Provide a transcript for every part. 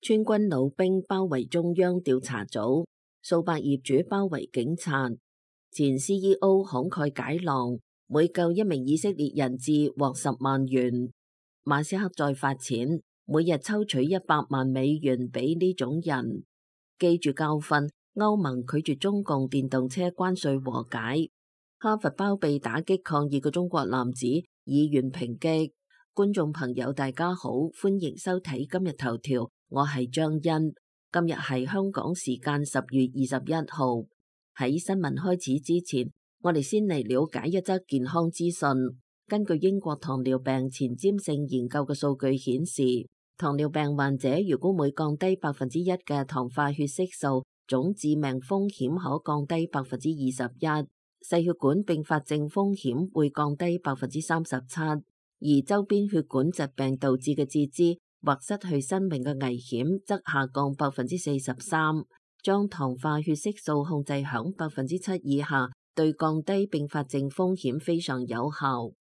川軍老兵包圍中央調查組，數百業主包圍警察。前 CEO 慷慨解囊，每救一名以色列人質獲10萬元。馬斯克再發錢，每日抽取100萬美元俾呢種人。記住教訓，歐盟拒絕中共電動車關稅和解。哈佛包庇打擊抗議嘅中國男子，議員抨擊。觀眾朋友大家好，歡迎收睇今日頭條，我係張欣。今日係香港時間10月21號。喺新聞開始之前，我哋先嚟了解一則健康資訊。根據英國糖尿病前瞻性研究嘅數據顯示，糖尿病患者如果每降低1%嘅糖化血色素，總致命風險可降低21%，細血管併發症風險會降低37%，而周邊血管疾病導致嘅截肢或失去生命嘅危險則下降43%。將糖化血色素控制響7%以下，對降低併發症風險非常有效。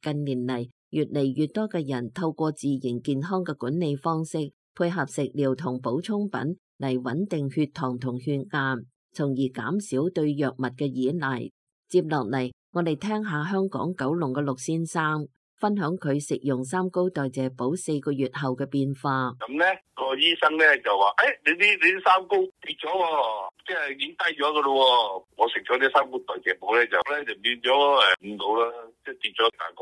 近年嚟，越嚟越多嘅人透過自然健康嘅管理方式，配合食療同補充品嚟穩定血糖同血壓，從而減少對藥物嘅依賴。接落嚟，我哋聽下香港九龍嘅陸先生分享佢食用三高代謝寶4個月後嘅變化。咁呢個醫生呢就話：你啲三高跌咗喎，即係已經低咗噶咯。我食咗啲三高代謝寶呢就變咗5度啦，即係跌咗大概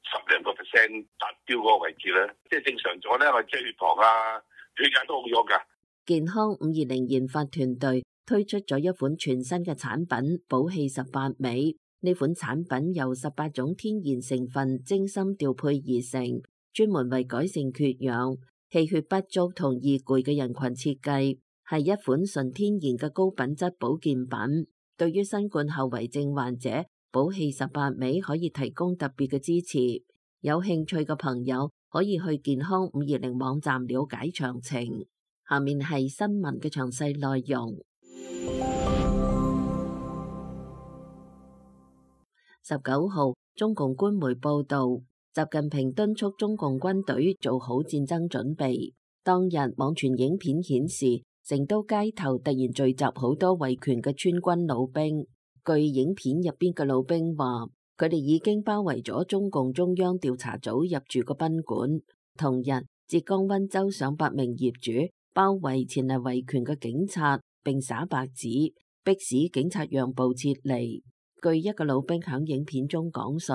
10%達標嗰個位置咧，即係正常咗呢，我即係血糖啊、血壓都好咗噶。健康520研發團隊推出咗一款全新嘅產品寶氣18美。呢款產品由18種天然成分精心調配而成，專門為改善缺氧、氣血不足同易攰嘅人群設計，係一款純天然嘅高品質保健品。對於新冠後遺症患者，寶氣18美可以提供特別嘅支持。有興趣嘅朋友可以去健康520網站了解詳情。下面係新聞嘅詳細內容。19號，中共官媒報道，習近平敦促中共軍隊做好戰爭準備。當日網傳影片顯示，成都街頭突然聚集好多維權嘅川軍老兵。據影片入邊嘅老兵話，佢哋已經包圍咗中共中央調查組入住個賓館。同日，浙江溫州上百名業主包圍前嚟維權嘅警察，並灑白紙，迫使警察讓步撤離。據一個老兵響影片中講述，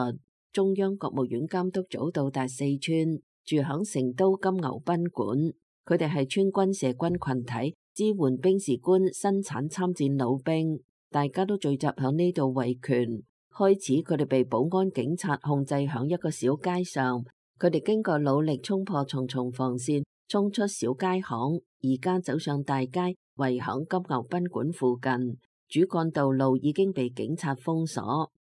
中央國務院監督組到達四川，住響成都金牛賓館。佢哋係川軍社軍群體，支援兵士官生產參戰老兵，大家都聚集響呢度維權。開始佢哋被保安警察控制響一個小街上，佢哋經過努力衝破重重防線，衝出小街巷，而家走上大街，圍響金牛賓館附近。主幹道路已經被警察封鎖，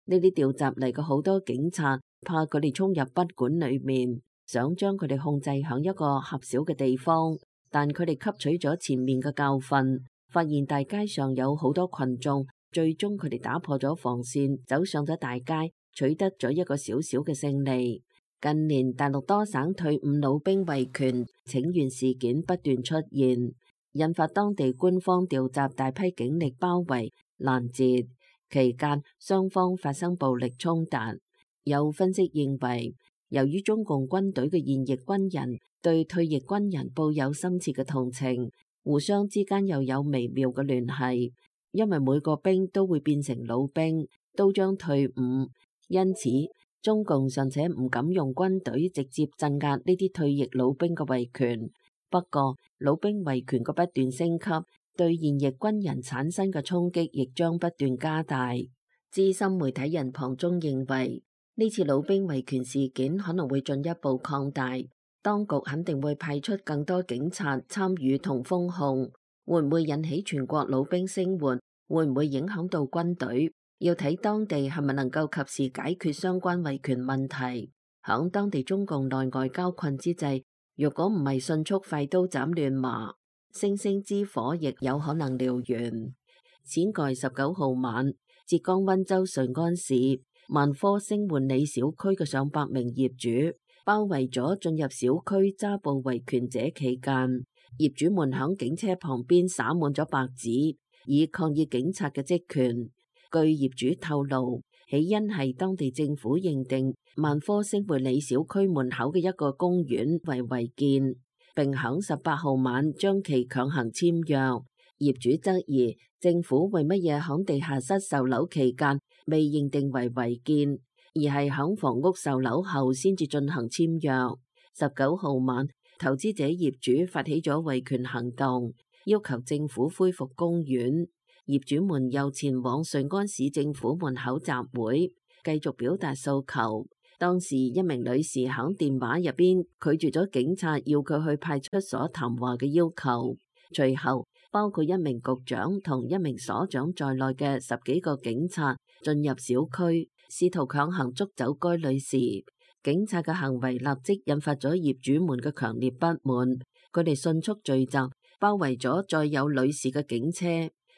呢啲調集嚟嘅好多警察怕佢哋衝入賓館裏面，想將佢哋控制響一個狹小嘅地方，但佢哋吸取咗前面嘅教訓，發現大街上有好多群眾，最終佢哋打破咗防線，走上咗大街，取得咗一個小小嘅勝利。近年大陸多省退伍老兵維權請願事件不斷出現，引發當地官方調集大批警力包圍攔截，期間雙方發生暴力衝突。有分析認為，由於中共軍隊嘅現役軍人對退役軍人抱有深切嘅同情，互相之間又有微妙嘅聯繫，因為每個兵都會變成老兵，都將退伍，因此中共尚且唔敢用軍隊直接鎮壓呢啲退役老兵嘅維權。不過，老兵維權嘅不斷升級，對現役軍人產生嘅衝擊亦將不斷加大。資深媒體人龐中認為，呢次老兵維權事件可能會進一步擴大，當局肯定會派出更多警察參與同封控，會唔會引起全國老兵聲援，會唔會影響到軍隊，要睇當地係咪能夠及時解決相關維權問題。響當地中共內外交困之際，若果唔係迅速快刀斬亂麻，星星之火亦有可能燎原。此外，19號晚，浙江溫州瑞安市萬科星換里小區嘅上百名業主包圍咗進入小區揸捕維權者期間，業主們響警車旁邊灑滿咗白紙，以抗議警察嘅職權。據業主透露，起因係當地政府認定萬科星匯里小區門口嘅一個公園為違建，並響18號晚將其強行簽約。業主質疑政府為乜嘢響地下室售樓期間未認定為違建，而係響房屋售樓後先至進行簽約。19號晚，投資者業主發起咗維權行動，要求政府恢復公園。業主們又前往瑞安市政府門口集會，繼續表達訴求。當時一名女士響電話入邊拒絕咗警察要佢去派出所談話嘅要求。隨後，包括一名局長同一名所長在內嘅10幾個警察進入小區，試圖強行捉走該女士。警察嘅行為立即引發咗業主們嘅強烈不滿，佢哋迅速聚集，包圍咗載有女士嘅警車，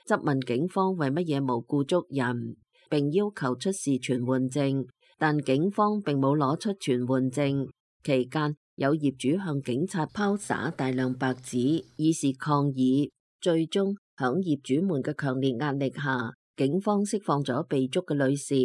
質問警方為乜嘢無故捉人，並要求出示傳喚證，但警方並冇攞出傳喚證。期間，有業主向警察拋灑大量白紙，以示抗議。最終，響業主們嘅強烈壓力下，警方釋放咗被捉嘅女士。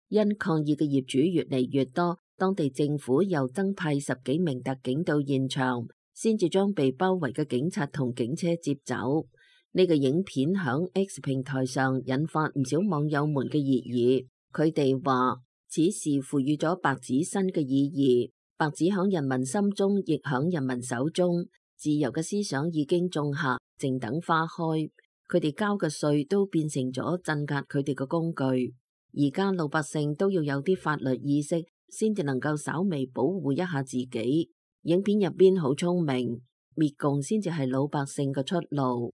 因抗議嘅業主越嚟越多，當地政府又增派10幾名特警到現場，先至將被包圍嘅警察同警車接走。呢個影片響 X 平台上引發唔少網友們嘅熱議。佢哋話，此事賦予咗白紙新嘅意義，白紙響人民心中，亦響人民手中。自由嘅思想已經種下，靜等花開。佢哋交嘅稅都變成咗鎮壓佢哋嘅工具。而家老百姓都要有啲法律意識，先至能夠稍微保護一下自己。影片入邊好聰明，滅共先至係老百姓嘅出路。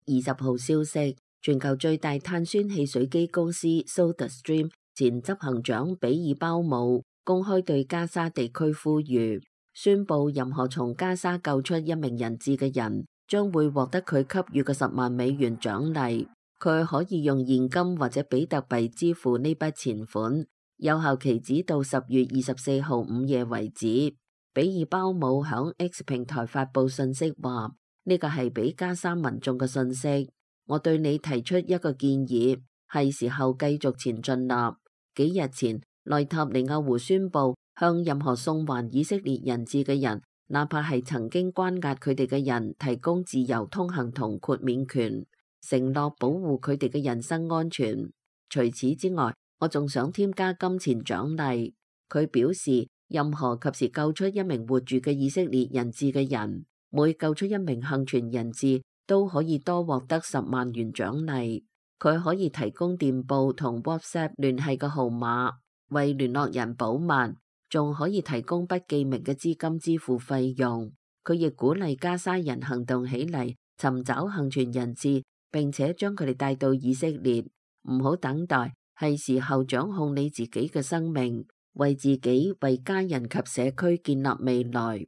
20號消息，全球最大碳酸汽水機公司 SodaStream 前執行長比爾鮑姆公開對加沙地區呼籲，宣布任何從加沙救出一名人質嘅人，將會獲得佢給予嘅$10萬獎勵。佢可以用現金或者比特幣支付呢筆錢款，有效期指到10月24號午夜為止。比爾鮑姆響 X 平台發佈信息話，呢個係俾加沙民眾嘅信息。我對你提出一個建議，係時候繼續前進啦。幾日前，內塔尼亞胡宣布向任何送還以色列人質嘅人，哪怕係曾經關押佢哋嘅人，提供自由通行同豁免權，承諾保護佢哋嘅人身安全。除此之外，我仲想添加金錢獎勵。佢表示，任何及時救出一名活住嘅以色列人質嘅人，每救出一名幸存人質，都可以多獲得$10萬獎勵。佢可以提供電報同 WhatsApp 聯繫嘅號碼，為聯絡人保密，仲可以提供不記名嘅資金支付費用。佢亦鼓勵加沙人行動起嚟，尋找幸存人質，並且將佢哋帶到以色列。唔好等待，係時候掌控你自己嘅生命，為自己、為家人及社區建立未來。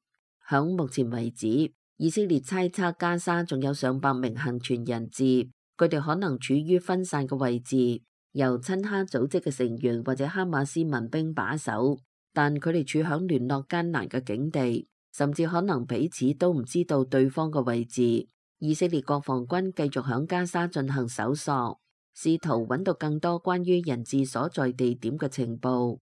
響目前為止，以色列猜測加沙仲有上百名幸存人質，佢哋可能處於分散嘅位置，由親哈組織嘅成員或者哈馬斯民兵把守，但佢哋處響聯絡艱難嘅境地，甚至可能彼此都唔知道對方嘅位置。以色列國防軍繼續響加沙進行搜索，試圖揾到更多關於人質所在地點嘅情報。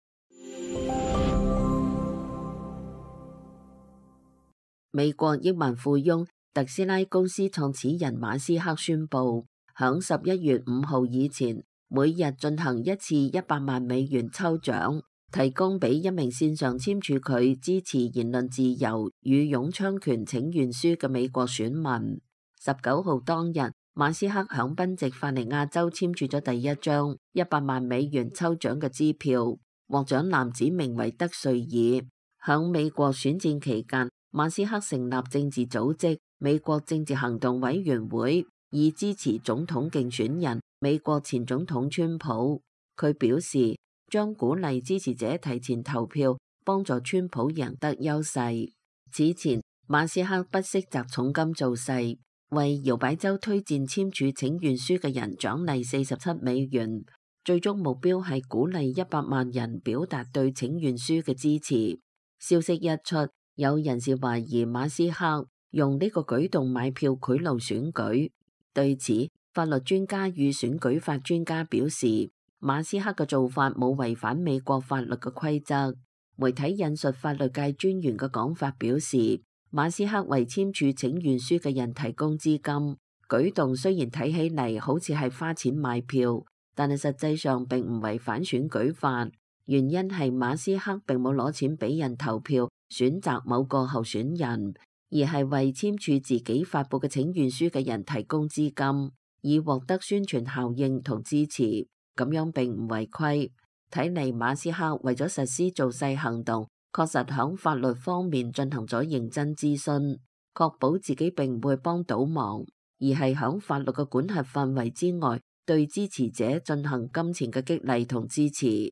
美國億萬富翁特斯拉公司創始人馬斯克宣布，響11月5號以前，每日進行一次$100萬抽獎，提供俾一名線上簽署佢支持言論自由與擁槍權請願書嘅美國選民。19號當日，馬斯克響賓夕法尼亞州簽署咗第一張$100萬抽獎嘅支票，獲獎男子名為德瑞爾。響美國選戰期間，馬斯克成立政治組織美國政治行動委員會，以支持總統競選人美國前總統川普。佢表示將鼓勵支持者提前投票，幫助川普贏得優勢。此前，馬斯克不惜砸重金造勢，為搖擺州推薦簽署請願書嘅人獎勵$47萬，最終目標係鼓勵100萬人表達對請願書嘅支持。消息一出，有人士懷疑馬斯克用呢個舉動買票賄賂選舉。對此，法律專家與選舉法專家表示，馬斯克嘅做法冇違反美國法律嘅規則。媒體引述法律界專員嘅講法表示，馬斯克為簽署請願書嘅人提供資金，舉動雖然睇起嚟好似係花錢買票，但係實際上並唔違反選舉法。原因係馬斯克並冇攞錢俾人投票選擇某個候選人，而係為簽署自己發佈嘅請願書嘅人提供資金，以獲得宣傳效應同支持。咁樣並唔違規。睇嚟馬斯克為咗實施造勢行動，確實響法律方面進行咗認真諮詢，確保自己並唔會幫倒忙，而係響法律嘅管轄範圍之外，對支持者進行金錢嘅激勵同支持。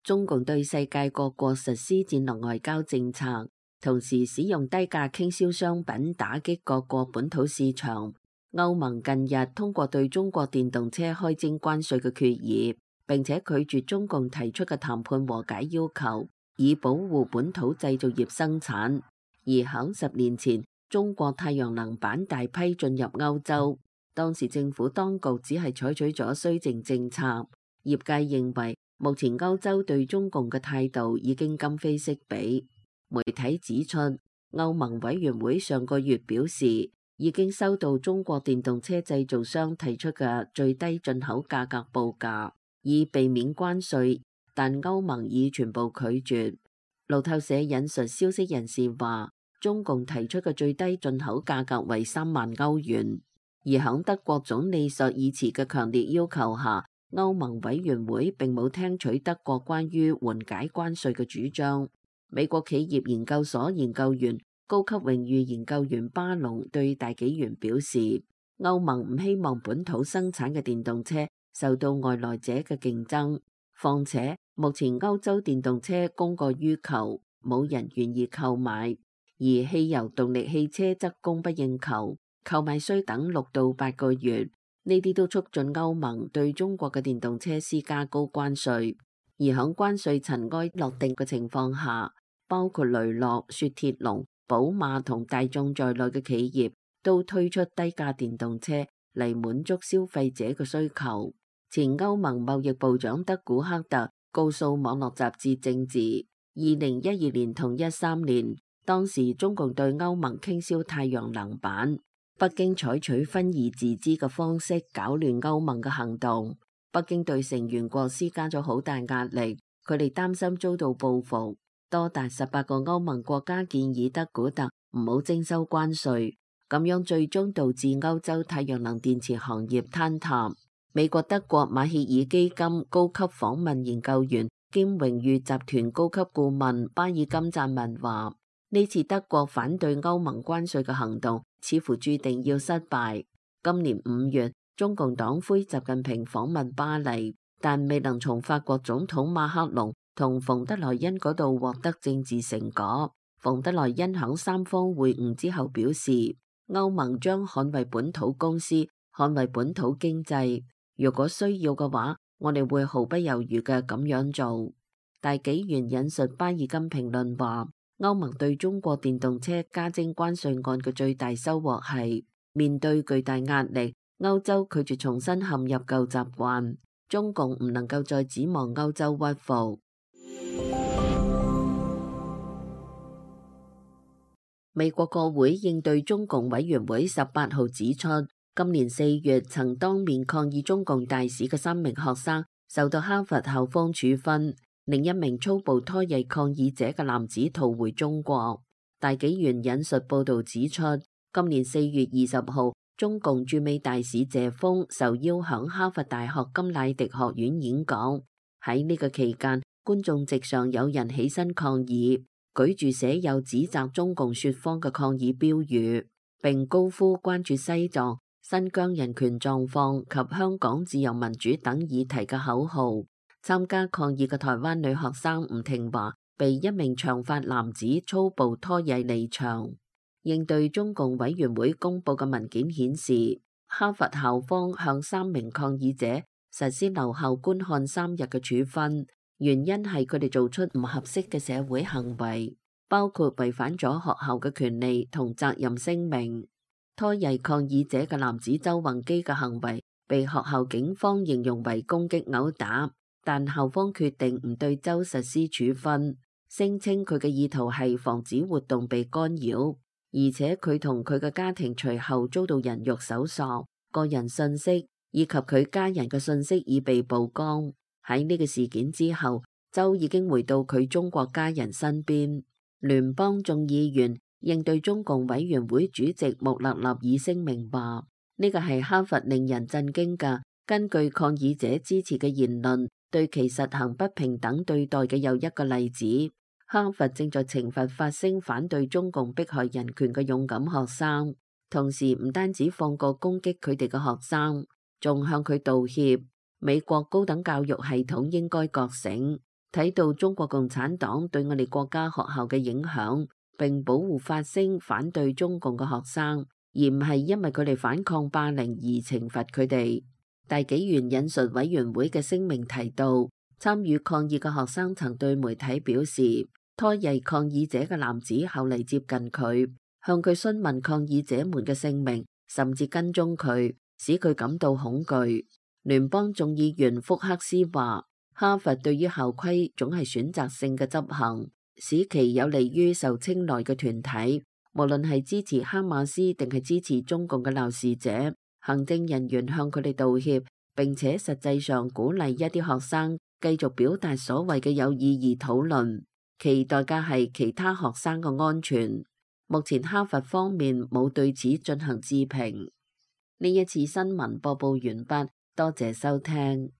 中共對世界各國實施戰略外交政策，同時使用低價傾銷商品打擊各國本土市場。歐盟近日通過對中國電動車開徵關稅嘅決議，並且拒絕中共提出嘅談判和解要求，以保護本土製造業生產。而響10年前，中國太陽能板大批進入歐洲，當時政府當局只係採取咗綏靖政策。業界認為，目前歐洲對中共嘅態度已經今非昔比。媒體指出，歐盟委員會上個月表示，已經收到中國電動車製造商提出嘅最低進口價格報價，以避免關稅，但歐盟已全部拒絕。路透社引述消息人士話，中共提出嘅最低進口價格為3萬歐元，而響德國總理朔爾茨嘅強烈要求下，歐盟委員會並冇聽取德國關於緩解關稅嘅主張。美國企業研究所研究員、高級榮譽研究員巴隆對大紀元表示，歐盟唔希望本土生產嘅電動車受到外來者嘅競爭，況且目前歐洲電動車供過於求，冇人願意購買，而汽油動力汽車則供不應求，購買需等6到8個月。呢啲都促進歐盟對中國嘅電動車施加高關稅，而響關稅塵埃落定嘅情況下，包括雷諾、雪鐵龍、寶馬同大眾在內嘅企業都推出低價電動車嚟滿足消費者嘅需求。前歐盟貿易部長德古克特告訴網絡雜誌政治，2012年同13年，當時中共對歐盟傾銷太陽能板，北京採取分而治之嘅方式搞亂歐盟嘅行動。北京對成員國施加咗好大壓力，佢哋擔心遭到報復。多達18個歐盟國家建議德古特唔好徵收關稅，咁樣最終導致歐洲太陽能電池行業坍塌。美國德國馬歇爾基金高級訪問研究員兼榮譽集團高級顧問巴爾金贊文話：呢次德國反對歐盟關稅嘅行動似乎注定要失敗。今年5月，中共黨魁習近平訪問巴黎，但未能從法國總統馬克龍同馮德萊恩嗰度獲得政治成果。馮德萊恩響三方會晤之後表示，歐盟將捍衛本土公司，捍衛本土經濟。如果需要嘅話，我哋會毫不猶豫嘅咁樣做。大紀元引述巴爾金評論話，歐盟對中國電動車加徵關稅案嘅最大收穫係面對巨大壓力，歐洲拒絕重新陷入舊習慣，中共唔能夠再指望歐洲屈服。美國國會應對中共委員會18號指出，今年4月曾當面抗議中共大使嘅3名學生受到哈佛校方處分，另一名粗暴拖曳抗議者嘅男子逃回中國。大紀元引述報道指出，今年4月20號，中共駐美大使謝鋒受邀響哈佛大學甘迺迪學院演講，喺呢個期間，觀眾席上有人起身抗議，舉住寫有指責中共說謊嘅抗議標語，並高呼關注西藏、新疆人權狀況及香港自由民主等議題嘅口號。參加抗議嘅台灣女學生吳婷華被一名長髮男子粗暴拖曳離場。應對中共委員會公佈嘅文件顯示，哈佛校方向3名抗議者實施留校觀看3日嘅處分，原因係佢哋做出唔合適嘅社會行為，包括違反咗學校嘅權利同責任聲明。拖曳抗議者嘅男子周宏基嘅行為被學校警方形容為攻擊毆打，但校方決定唔對周實施處分，聲稱佢嘅意圖係防止活動被干擾，而且佢同佢嘅家庭隨後遭到人肉搜索，個人信息以及佢家人嘅信息已被曝光。喺呢個事件之後，周已經回到佢中國家人身邊。聯邦眾議員應對中共委員會主席穆勒納爾聲明話，呢個係哈佛令人震驚嘅根據抗議者支持嘅言論對其實行不平等對待嘅又一個例子。哈佛正在懲罰發聲反對中共迫害人權嘅勇敢學生，同時唔單止放過攻擊佢哋嘅學生，仲向佢道歉。美國高等教育系統應該覺醒，睇到中國共產黨對我哋國家學校嘅影響，並保護發聲反對中共嘅學生，而唔係因為佢哋反抗霸凌而懲罰佢哋。大紀元引述委員會嘅聲明提到，參與抗議嘅學生曾對媒體表示，拖曳抗議者嘅男子後嚟接近佢，向佢詢問抗議者們嘅姓名，甚至跟蹤佢，使佢感到恐懼。聯邦眾議員福克斯話，哈佛對於校規總係選擇性嘅執行，使其有利於受青睞嘅團體，無論係支持哈馬斯定係支持中共嘅鬧事者。行政人員向佢哋道歉，並且實際上鼓勵一啲學生繼續表達所謂嘅有意義討論，其代價係其他學生嘅安全。目前哈佛方面冇對此進行置評。呢一次新聞播報完畢，多謝收聽。